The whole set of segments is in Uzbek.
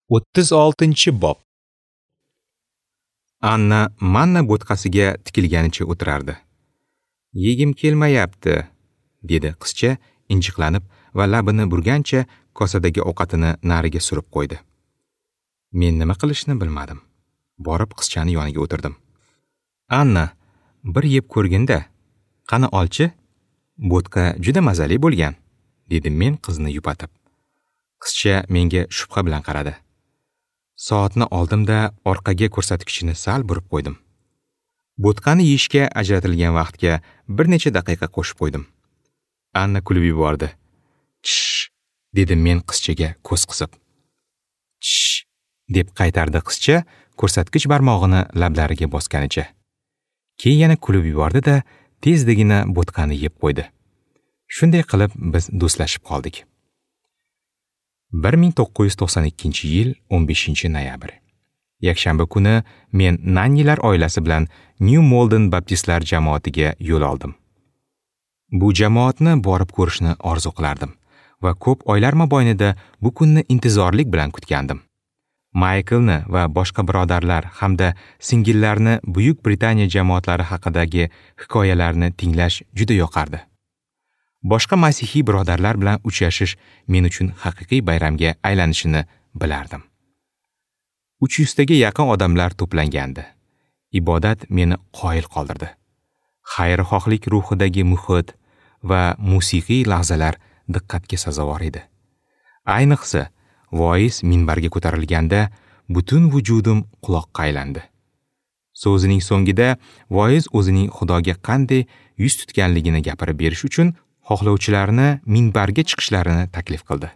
36-bob. Anna manna bo'tqasiga tikilganicha o'tirardi. "Yegim kelmayapti", dedi qizcha injiqlanib va labini burgancha kosadagi ovqatini nariga surib qo'ydi. Men nima qilishni bilmadim. Borib qizchani yoniga o'tirdim. "Anna, bir yeb ko'rgin-da. Qani olchi? Bo'tqa juda mazali bo'lgan", dedim men qizni yupatib. Qizcha menga shubha bilan qaradi. Soatni oldim-da, orqaga ko'rsatkichini sal burib qo'ydim. Bo'tqani yeyishga ajratilgan vaqtga bir necha daqiqa qo'shib qo'ydim. Anna kulib yubordi. "Chish", dedim men qizchaga ko'z qisib. "Chish", deb qaytardi qizcha ko'rsatkich barmog'ini lablariga bosganicha. Keyin yana kulib yubordi-da, tezdigina bo'tqani yeb qo'ydi. Shunday qilib biz do'stlashib qoldik. 1992-yil 15-noyabr. Yakshanba kuni men Nannilar oilasi bilan New Malden Baptistlar jamoatiga yo'l oldim. Bu jamoatni borib ko'rishni orzu qilardim va ko'p oylar mobaynida bu kunni intizorlik bilan kutgandim. Mayklni va boshqa birodarlar hamda singillarni Buyuk Britaniya jamoatlari haqidagi hikoyalarni tinglash juda yoqardi. Boshqa masihiy birodarlar bilan uchrashish men uchun haqiqiy bayramga aylanishini bilardim. 300 taga yaqin odamlar to'plangandi. Ibodat meni qoyil qoldirdi. Xayrixohlik ruhidagi muhit va musiqiy lahzalar diqqatga sazovor edi. Ayniqsa, voiz minbarga ko'tarilganda butun vujudim quloqqa aylandi. So'zining so'ngida voiz o'zining Xudoga qanday yuz tutganligini gapirib berish uchun xohlovchilarni minbarga chiqishlarini taklif qildi.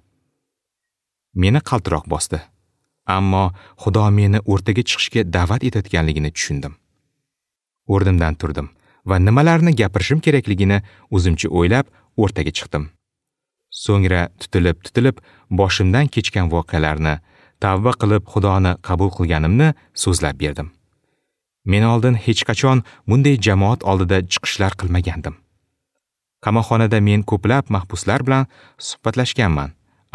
Meni qaltiroq bosdi. Ammo Xudo meni o'rtaga chiqishga da'vat etayotganligini tushundim. O'rnimdan turdim va nimalarni gapirishim kerakligini o'zimcha o'ylab o'rtaga chiqdim. So'ngra tutilib boshimdan kechgan voqealarni, tavba qilib Xudoni qabul qilganimni so'zlab berdim. Men oldin hech qachon bunday jamoat oldida chiqishlar qilmagandim. Qamoqxonada men ko'plab mahbuslar bilan suhbatlashganman,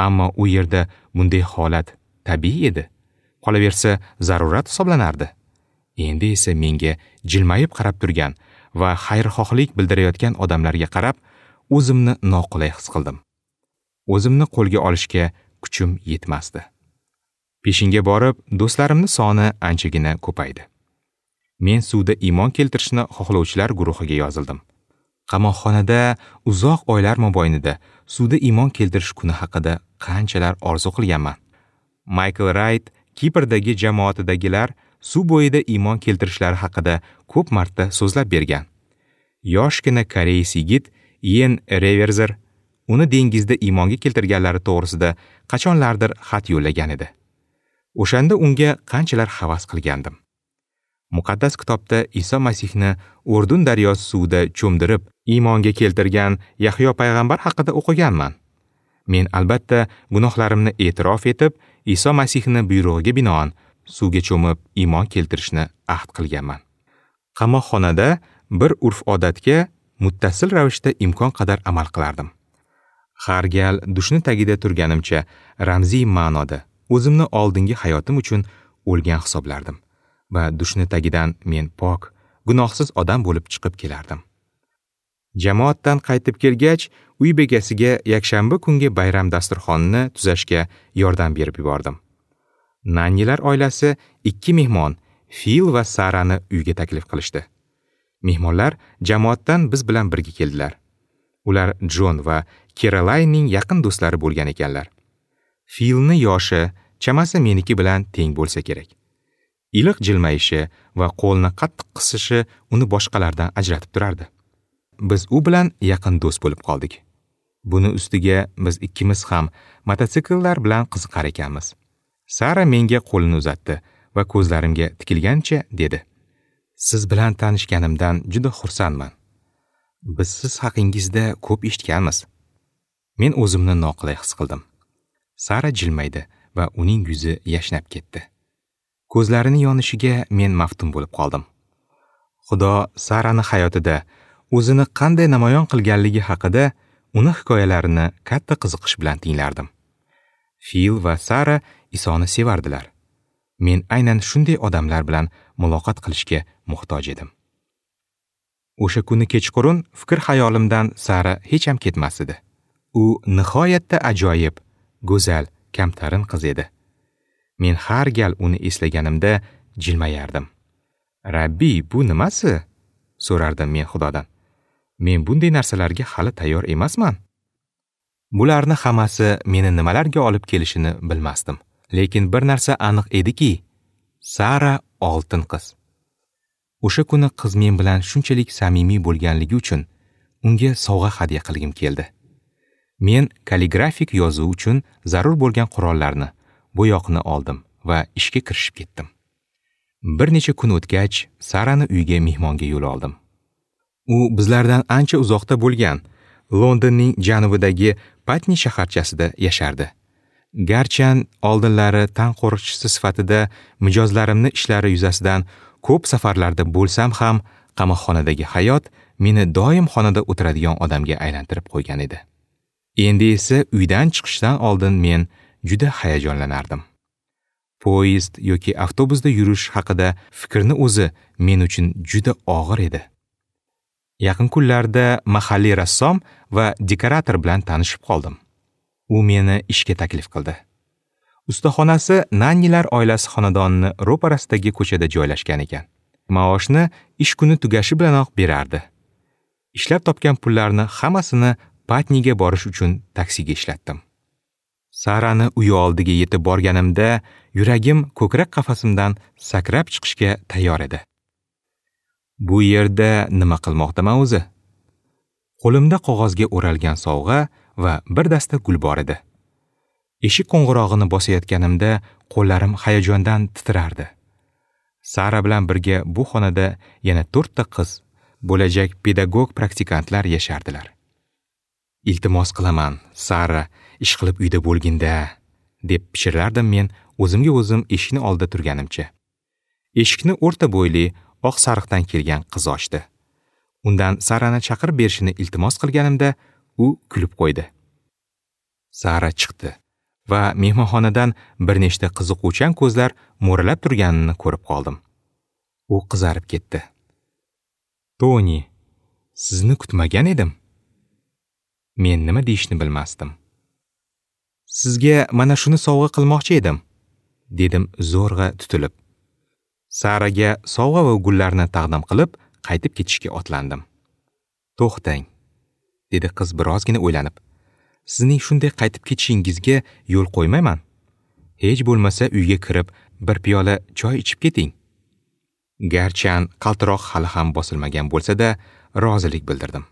ammo u yerda bunday holat tabiiy edi. Qolaversa, zarurat hisoblanardi. Endi esa menga jilmayib qarab turgan va xayrixohlik bildirayotgan odamlarga qarab o'zimni noqulay his qildim. O'zimni qo'lga olishga kuchim yetmasdi. Peshinga borib, do'stlarimning soni anchagina ko'paydi. Men suvda iymon keltirishni xohlovchilar guruhiga yozildim. Qamoqxonada uzoq oylar mobaynida suvda iymon keltirish kuni haqida qanchalar orzu qilganman. Michael Wright Kiprdagi jamoatidagilar suv bo'yida iymon keltirishlari haqida ko'p marta so'zlab bergan. Yoshgina koreys yigit Ian Reverzer uni dengizda iymonga keltirganlari to'g'risida qachonlardir xat yo'llagan edi. O'shanda unga qanchalar havas qilgandim. Muqaddas kitobda Iso Masihni Urdun daryosi suvida cho'mdirib iymonga keltirgan Yahyo payg'ambar haqida o'qiganman. Men albatta gunohlarimni e'tirof etib, Iso Masihni buyrug'iga binoan suvga cho'mib iymon keltirishni ahd qilganman. Qamoqxonada bir urf-odatga muttasil ravishda imkon qadar amal qilardim. Har gal dushni tagida turganimcha ramziy ma'noda o'zimni oldingi hayotim uchun o'lgan hisoblardim va dushni tagidan men pok, gunohsiz odam bo'lib chiqib kelardim. Jamoatdan qaytib kelgach, uy bekasiga yakshanba kungi bayram dasturxonini tuzashga yordam berib yubordim. Nannilar oilasi 2 mehmon, Fil va Sarani uyga taklif qilishdi. Mehmonlar jamoatdan biz bilan birga keldilar. Ular Jon va Kerolaynning yaqin do'stlari bo'lgan ekanlar. Filni yoshi chamasi meniki bilan teng bo'lsa kerak. Iliq jilmayishi va qo'lni qattiq qisishi uni boshqalardan ajratib turardi. Biz u bilan yaqin do'st bo'lib qoldik. Buni ustiga biz ikkimiz ham mototsikllar bilan qiziqar ekanmiz. Sara menga qo'lini uzatdi va ko'zlarimga tikilgancha dedi: "Siz bilan tanishganimdan juda xursandman. Biz siz haqingizda ko'p eshitganmiz." Men o'zimni noqulay his qildim. Sara jilmaydi va uning yuzi yashnab ketdi. Ko'zlarining yonishiga men maftun bo'lib qoldim. Xudo Sarani hayotida o'zini qanday namoyon qilganligi haqida uni hikoyalarini katta qiziqish bilan tinglardim. Fil va Sara Isoni sevardilar. Men aynan shunday odamlar bilan muloqot qilishga muhtoj edim. O'sha kuni kechqurun fikr-xayolimdan Sara hech ham ketmas edi. U nihoyatda ajoyib, go'zal, kamtarin qiz edi. Men har gal uni eslaganimda jilmayardim. Rabbiy, bu nimasi? So'rardim men Xudodan. Men bunday narsalarga hali tayyor emasman. Bularni hammasi meni nimalarga olib kelishini bilmasdim. Lekin bir narsa aniq ediki, Sara oltin qiz. O'sha kuni qiz men bilan shunchalik samimiy bo'lganligi uchun unga sovg'a hadya qilgim keldi. Men kalligrafik yozuv uchun zarur bo'lgan qurollarni, bo'yoqni oldim va ishga kirishib ketdim. Bir necha kun o'tgach, Sarani uyiga mehmonga yo'l oldim. U bizlardan ancha uzoqda bo'lgan Londonning janubidagi Patni shaharchasida yashardi. Garchan oldinlari tan qo'riqchisi sifatida mijozlarimni ishlari yuzasidan ko'p safarlarda bo'lsam ham, qamoqxonadagi hayot meni doim xonada o'tiradigan odamga aylantirib qo'ygan edi. Endi esa uydan chiqishdan oldin men juda hayajonlanardim. Poyezd yoki avtobusda yurish haqida fikrni o'zi men uchun juda og'ir edi. Yaqin kunlarda mahalliy rassom va dekorator bilan tanishib qoldim. U meni ishga taklif qildi. Ustaxonasi Nannilar oilasi xonadonini ro'parasidagi ko'chada joylashgan ekan. Maoshni ish kuni tugashi bilanoq berardi. Ishlab topgan pullarni hammasini Patniga borish uchun taksiga ishlatdim. Sarani uyi oldiga yetib borganimda yuragim ko'krak qafasimdan sakrab chiqishga tayyor edi. Bu yerda nima qilmoqdaman o'zi? Qo'limda qog'ozga o'ralgan sovg'a va bir dasta gul bor edi. Eshik qo'ng'irog'ini bosayotganimda qo'llarim hayajondan titrardi. Sara bilan birga bu xonada yana 4 ta qiz, bo'lajak pedagog praktikantlar yashardilar. Iltimos qilaman, Sara, ish qilib uyda bo'lginda, deb pichirlardim men o'zimga o'zim eshikni oldida turganimcha. Eshikni o'rta bo'yli, oq sariqdan kelgan qiz ochdi. Undan Sarani chaqirib berishini iltimos qilganimda u kulib qo'ydi. Sara chiqdi va mehmonxonadan bir nechta qiziquvchan ko'zlar mo'ralab turganini ko'rib qoldim. U qizarib ketdi. Toni, sizni kutmagan edim. Men nima deyishni bilmasdim. Sizga mana shuni sovg'a qilmoqchi edim, dedim zo'rg'a tutilib. Saraga sovg'a va gullarni taqdim qilib, qaytib ketishga otlandim. To'xtang, dedi qiz birozgina o'ylanib. Sizning shunday qaytib ketishingizga yo'l qo'ymayman. Hech bo'lmasa uyga kirib bir piyola choy ichib keting. Garchan qaltiroq hali ham bosilmagan bo'lsa-da, rozilik bildirdim.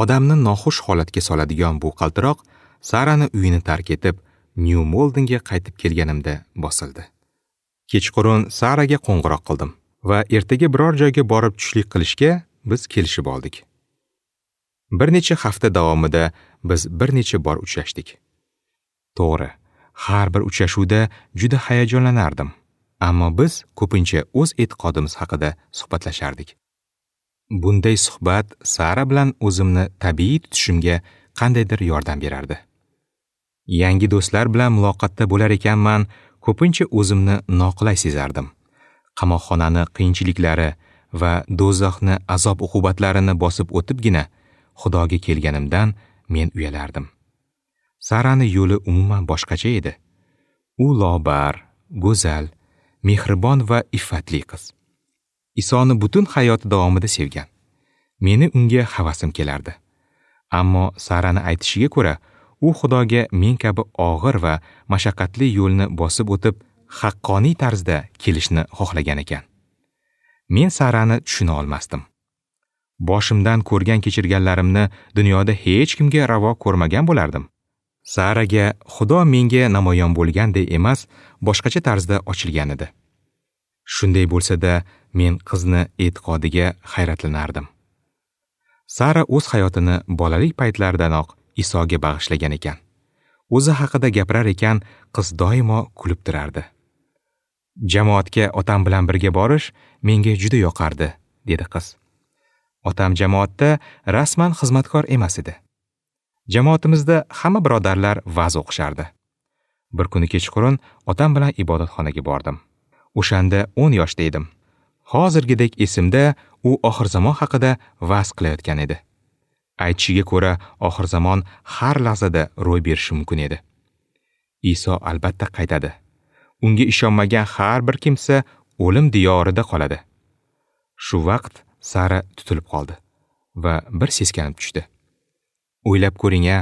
Odamni noxush holatga soladigan bu qaltiroq Sarani uyini tark etib, New Maldenga qaytib kelganimda bosildi. Kechqurun Saraga qo'ng'iroq qildim va ertaga biror joyga borib tushlik qilishga biz kelishib oldik. Bir necha hafta davomida biz bir necha bor uchrashdik. To'g'ri, har bir uchrashuvda juda hayajonlanardim, ammo biz ko'pincha o'z e'tiqodimiz haqida suhbatlashardik. Bunday suhbat Sara bilan o'zimni tabiiy tutishimga qandaydir yordam berardi. Yangi do'stlar bilan muloqotda bo'lar ekanman, ko'pincha o'zimni noqulay sezardim. Qamoqxonani qiyinchiliklari va do'zaxni azob-uqubatlarini bosib o'tibgina Xudoga kelganimdan men uyalardim. Sarani yo'li umuman boshqacha edi. U lobar, go'zal, mehribon va iffatli qiz. Isoni butun hayoti davomida sevgan. Meni unga havasim kelardi. Ammo Sarani aytishiga ko'ra, u Xudoga men kabi og'ir va mashaqqatli yo'lni bosib o'tib, haqqoniy tarzda kelishni xohlagan ekan. Men Sarani tushuna olmasdim. Boshimdan ko'rgan kechirganlarimni dunyoda hech kimga ravo ko'rmagan bo'lardim. Saraga Xudo menga namoyon bo'lganday emas, boshqacha tarzda ochilgan edi. Shunday bo'lsa-da, men qizni e'tiqodiga hayratlanardim. Sara o'z hayotini bolalik paytlaridanoq Isoga bag'ishlagan ekan. O'zi haqida gapirar ekan, qiz doimo kulib turardi. Jamoatga otam bilan birga borish menga juda yoqardi, dedi qiz. Otam jamoatda rasman xizmatkor emas edi. Jamoatimizda hamma birodarlar va'z o'qishardi. Bir kuni kechqurun otam bilan ibodatxonaga bordim. O'shanda 10 yoshda edim. Hozirgidek esimda, u oxir zamon haqida va'z qilayotgan edi. Aytishiga ko'ra, oxir zamon har lahzada ro'y berishi mumkin edi. Iso albatta qaytadi. Unga ishonmagan har bir kimsa o'lim diyorida qoladi. Shu vaqt Sara tutilib qoldi va bir seskanib tushdi. O'ylab ko'ring-a,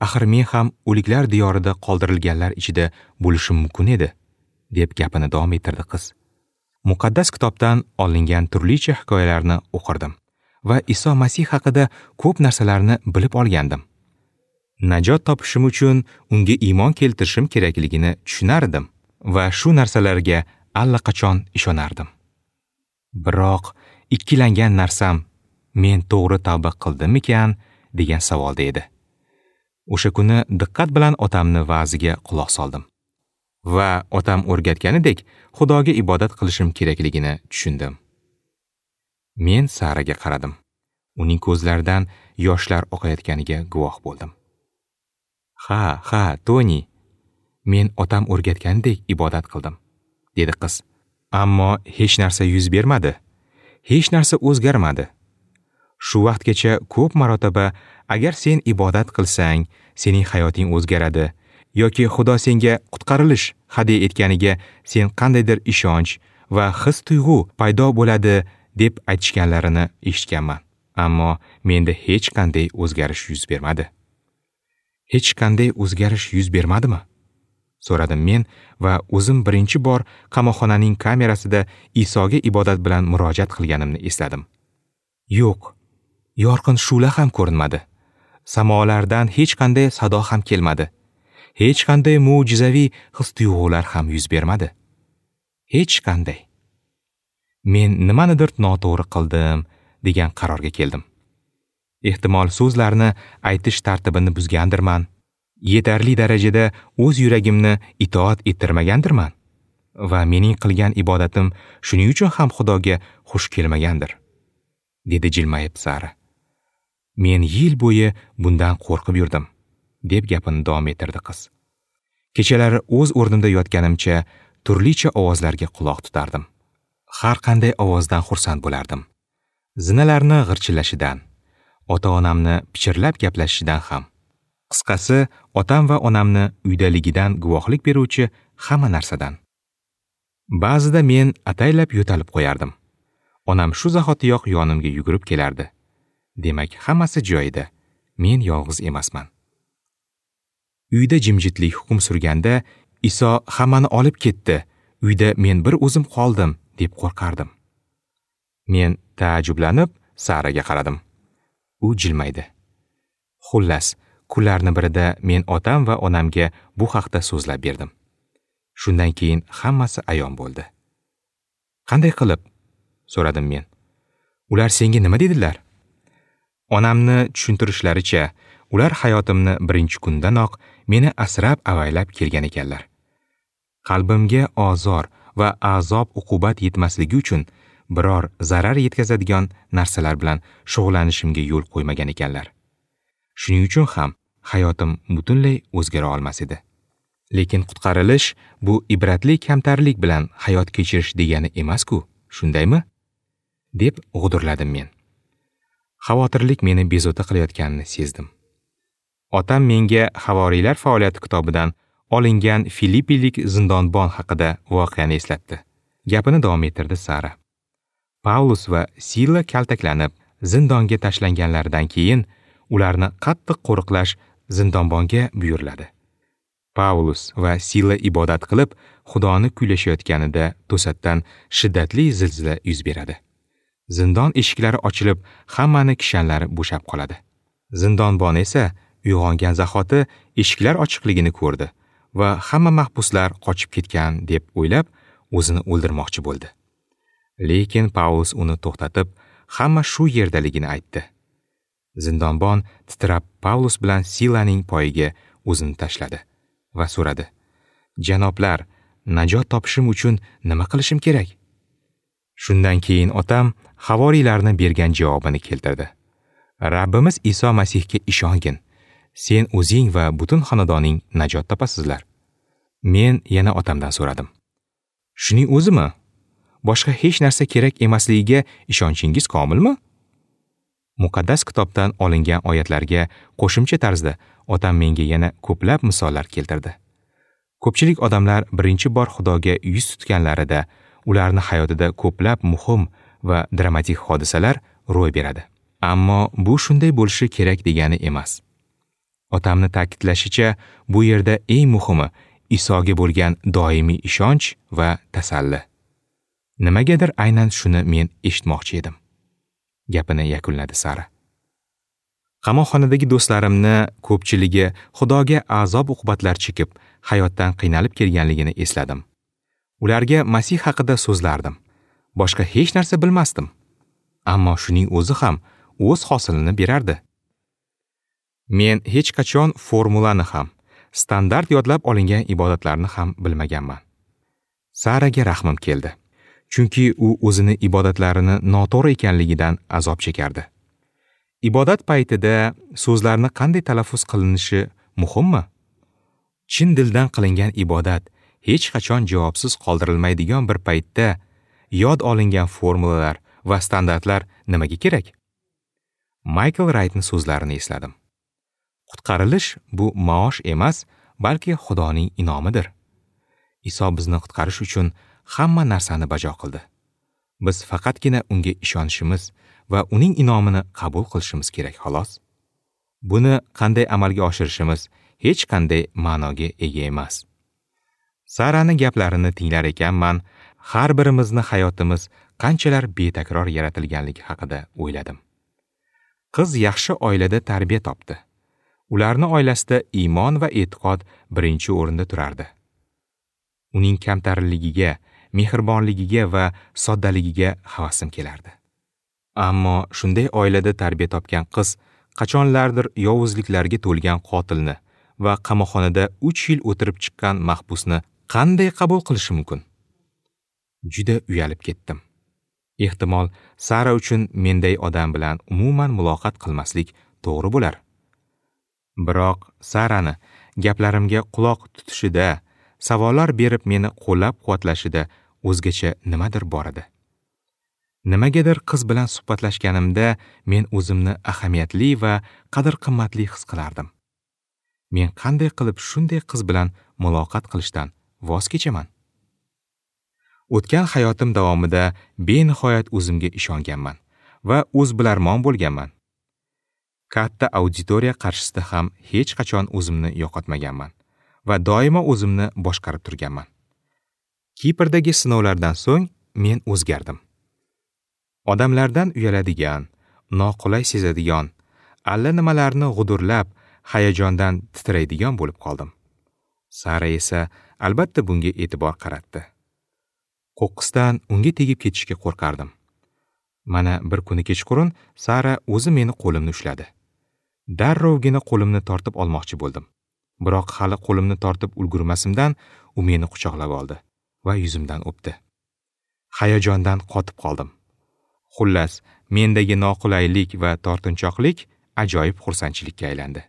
axir men ham o'liklar diyorida qoldirilganlar ichida bo'lishim mumkin edi, deb gapini davom ettirdi qiz. Muqaddas kitobdan olingan turlicha hikoyalarni o'qirdim va Iso Masih haqida ko'p narsalarni bilib olgandim. Najot topishim uchun unga iymon keltirishim kerakligini tushunardim va shu narsalarga allaqachon ishonardim. Biroq ikkilangan narsam, men to'g'ri tavba qildimmikan degan savolda edi. O'sha kuni diqqat bilan otamni va'ziga quloq soldim va otam o'rgatganidek Xudoga ibodat qilishim kerakligini tushundim. Men Saraga qaradim. Uning ko'zlaridan yoshlar oqayotganiga guvoh bo'ldim. "Ha, ha, Toni, men otam o'rgatganidek ibodat qildim", dedi qiz. Ammo hech narsa yuz bermadi. Hech narsa o'zgarmadi. Shu vaqtgacha ko'p marotaba agar sen ibodat qilsang, sening hayoting o'zgaradi yoki Xudo senga qutqarilish hadya etganiga sen qandaydir ishonch va his-tuyg'u paydo bo'ladi deb aytishganlarini eshitganman. Ammo menda hech qanday o'zgarish yuz bermadi. Hech qanday o'zgarish yuz bermadimi? So'radim men va o'zim birinchi bor qamoqxonaning kamerasida Isoga ibodat bilan murojaat qilganimni esladim. Yo'q, yorqin shu'la ham ko'rinmadi. Samolardan hech qanday sado ham kelmadi. Hech qanday mo'jizaviy his-tuyg'ular ham yuz bermadi. Hech qanday. Men nimanidir noto'g'ri qildim degan qarorga keldim. Ehtimol so'zlarni aytish tartibini buzgandirman. Yetarli darajada o'z yuragimni itoat ettirmagandirman va mening qilgan ibodatim shuning uchun ham Xudoga xush kelmagandir, dedi jilmayib Sara. Men yil bo'yi bundan qo'rqib yurdim, deb gapini davom ettirdi qiz. Kechalari o'z o'rnimda yotganimcha turlicha ovozlarga quloq tutardim. Har qanday ovozdan xursand bo'lardim. Zinalarni g'irchillashidan, ota-onamni pichirlab gaplashishidan ham. Qisqasi, otam va onamni uydaligidan guvohlik beruvchi hamma narsadan. Ba'zida men ataylab yo'talib qo'yardim. Onam shu zahotiyoq yonimga yugurib kelardi. Demak, hammasi joyida. Men yolg'iz emasman. Uyda jimjitlik hukm surganda, Iso hammani olib ketdi. Uyda men bir o'zim qoldim, deb qo'rqardim. Men taajjublanib Saraga qaradim. U jilmaydi. Xullas, kunlarning birida men otam va onamga bu haqda so'zlab berdim. Shundan keyin hammasi ayon bo'ldi. Qanday qilib? So'radim men. Ular senga nima dedilar? Onamni tushuntirishlaricha, ular hayotimni birinchi kundanoq meni asrab avaylab kelgan ekanlar. Qalbimga ozor va azob uqubat yetmasligi uchun biror zarar yetkazadigan narsalar bilan shug'ullanishimga yo'l qo'ymagan ekanlar. Shuning uchun ham hayotim butunlay o'zgara olmas edi. Lekin qutqarilish bu ibratli kamtarlik bilan hayot kechirish degani emas-ku, shundaymi? Deb g'udurladim men. Xavotirlik meni bezovta qilayotganini sezdim. Otam menga Havoriylar faoliyati kitobidan olingan Filippilik zindonbon haqida voqeani eslatdi. Gapini davom ettirdi Sara. Paulus va Sila kaltaklanib zindonga tashlanganlaridan keyin ularni qattiq qo'riqlash zindonbonga buyuriladi. Paulus va Sila ibodat qilib, Xudoni kuylashayotganida to'satdan shiddatli zilzila yuz beradi. Zindon eshiklari ochilib, hammani kishanlari bo'shab qoladi. Zindonbon esa uyg'ongan zahoti eshiklar ochiqligini ko'rdi va hamma mahbuslar qochib ketgan deb o'ylab, o'zini o'ldirmoqchi bo'ldi. Lekin Paulus uni to'xtatib, hamma shu yerdaligini aytdi. Zindonbon titrab Paulus bilan Silaning poyiga o'zini tashladi va so'radi: "Janoblar, najot topishim uchun nima qilishim kerak?" Shundan keyin otam havoriylarni bergan javobini keltirdi. Rabbimiz Iso Masihga ishongin. Sen o'zing va butun xonadoning najot topasizlar. Men yana otamdan so'radim. Shuning o'zimi? Boshqa hech narsa kerak emasligiga ishonchingiz komilmi? Muqaddas kitobdan olingan oyatlarga qo'shimcha tarzda otam menga yana ko'plab misollar keltirdi. Ko'pchilik odamlar birinchi bor Xudoga yuz tutganlarida ularni hayotida ko'plab muhim va dramatik hodisalar ro'y beradi. Ammo bu shunday bo'lishi kerak degani emas. Otamni ta'kidlashicha, bu yerda eng muhimi Isoga bo'lgan doimiy ishonch va tasalli. Nimagadir aynan shuni men eshitmoqchi edim. Gapini yakunladi Sara. Qamoqxonadagi do'stlarimni ko'pchiligi Xudoga azob-uqubatlar chekib, hayotdan qiynalib kelganligini esladim. Ularga Masih haqida so'zlardim. Boshqa hech narsa bilmasdim. Ammo shuning o'zi ham o'z hosilini berardi. Men hech qachon formulani ham, standart yodlab olingan ibodatlarni ham bilmaganman. Saraga rahmim keldi. Chunki u o'zini ibodatlarini noto'g'ri ekanligidan azob chekardi. Ibodat paytida so'zlarni qanday talaffuz qilinishi muhimmi? Chin dildan qilingan ibodat hech qachon javobsiz qoldirilmaydigan bir paytda yod olingan formulalar va standartlar nimaga kerak? Michael Wrightning so'zlarini esladim. Qutqarilish bu maosh emas, balki Xudoning in'omidir. Iso bizni qutqarish uchun hamma narsani bajo qildi. Biz faqatgina unga ishonishimiz va uning in'omini qabul qilishimiz kerak, xolos. Buni qanday amalga oshirishimiz hech qanday ma'noga ega emas. Sarani gaplarini tinglar ekanman, har birimizni hayotimiz qanchalar betakror yaratilganligi haqida o'yladim. Qiz yaxshi oilada tarbiya topdi. Ularning oilasida iymon va e'tiqod birinchi o'rinda turardi. Uning kamtarligiga, mehribonligiga va soddaligiga havasim kelardi. Ammo shunday oilada tarbiya topgan qiz qachonlardir yovuzliklarga to'lgan qotilni va qamoqxonada 3 yil o'tirib chiqqan mahbusni qanday qabul qilishi mumkin? Juda uyalib ketdim. Ehtimol, Sara uchun menday odam bilan umuman muloqot qilmaslik to'g'ri bo'lar. Biroq Sarani gaplarimga quloq tutishida, savollar berib meni qo'llab-quvvatlashida o'zgacha nimadir bor edi. Nimagadir qiz bilan suhbatlashganimda men o'zimni ahamiyatli va qadr-qimmatli his qilardim. Men qanday qilib shunday qiz bilan muloqot qilishdan voz kechaman? O'tgan hayotim davomida benihoyat o'zimga ishonganman va o'zbilarmon bo'lganman. Katta auditoriya qarshisida ham hech qachon o'zimni yo'qotmaganman va doimo o'zimni boshqarib turganman. Kiprdagi sinovlardan so'ng men o'zgardim. Odamlardan uyaladigan, noqulay sezadigan, alla nimalarni g'udurlab, hayajondan titraydigan bo'lib qoldim. Sara esa albatta bunga e'tibor qaratdi. Qo'qqisdan unga tegib ketishga qo'rqardim. Mana bir kuni kechqurun Sara o'zi meni qo'limni ushladi. Darrovgina qo'limni tortib olmoqchi bo'ldim. Biroq hali qo'limni tortib ulgurmasimdan u meni quchoqlab oldi va yuzimdan o'pdi. Hayajondan qotib qoldim. Xullas, mendagi noqulaylik va tortinchoqlik ajoyib xursandchilikka aylandi.